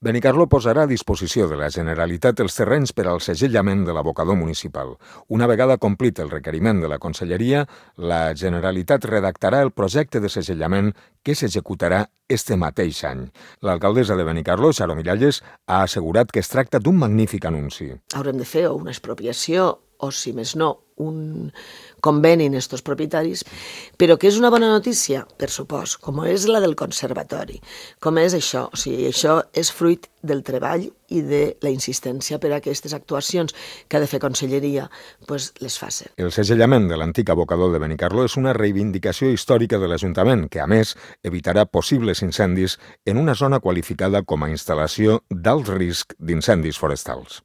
Benicarló posarà a disposició de la Generalitat els terrenys per al segellament de l'abocador municipal. Una vegada complit el requeriment de la Conselleria, la Generalitat redactarà el projecte de segellament que s'executarà este mateix any. L'alcaldessa de Benicarló, Xaro Miralles, ha assegurat que es tracta d'un magnífic anunci. Haurem de fer una expropiació o, si més no, un conveni en estos propietaris, però que és una bona notícia, per supost, com és la del conservatori, com és això. O sigui, això és fruit del treball i de la insistència per a aquestes actuacions que ha de fer Conselleria, doncs les faci. El segellament de l'antic abocador de Benicarló és una reivindicació històrica de l'Ajuntament, que a més evitarà possibles incendis en una zona qualificada com a instal·lació d'alt risc d'incendis forestals.